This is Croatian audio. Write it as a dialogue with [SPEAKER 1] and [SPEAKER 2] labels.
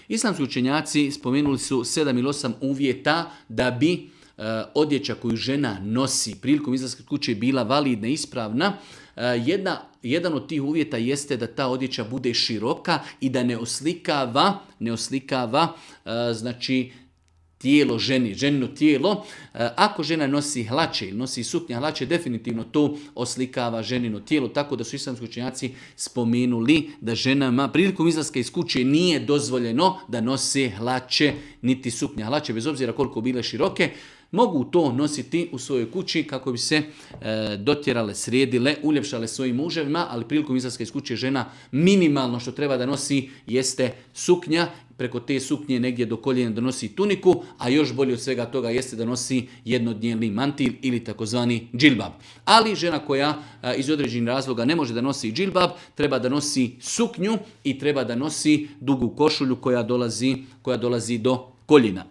[SPEAKER 1] Islamski učenjaci spomenuli su 7 ili 8 uvjeta da bi odjeća koju žena nosi prilikom izlaska kuće bila validna i ispravna. Jedan od tih uvjeta jeste da ta odjeća bude široka i da ne oslikava znači tijelo ženi, ženino tijelo. Ako žena nosi hlače ili nosi suknja hlače, definitivno to oslikava ženino tijelo, tako da su islamski učenjaci spomenuli da ženama prilikom izlaska iz kuće nije dozvoljeno da nose hlače niti suknja hlače, bez obzira koliko bile široke. Mogu to nositi u svojoj kući kako bi se dotjerale, sredile, uljepšale svojim muževima, ali prilikom izlaska iz kuće žena minimalno što treba da nosi jeste suknja, preko te suknje negdje do koljena da nosi tuniku, a još bolje od svega toga jeste da nosi jednodnevni mantil ili takozvani džilbab. Ali žena koja iz određenih razloga ne može da nosi džilbab, treba da nosi suknju i treba da nosi dugu košulju koja dolazi do koljena.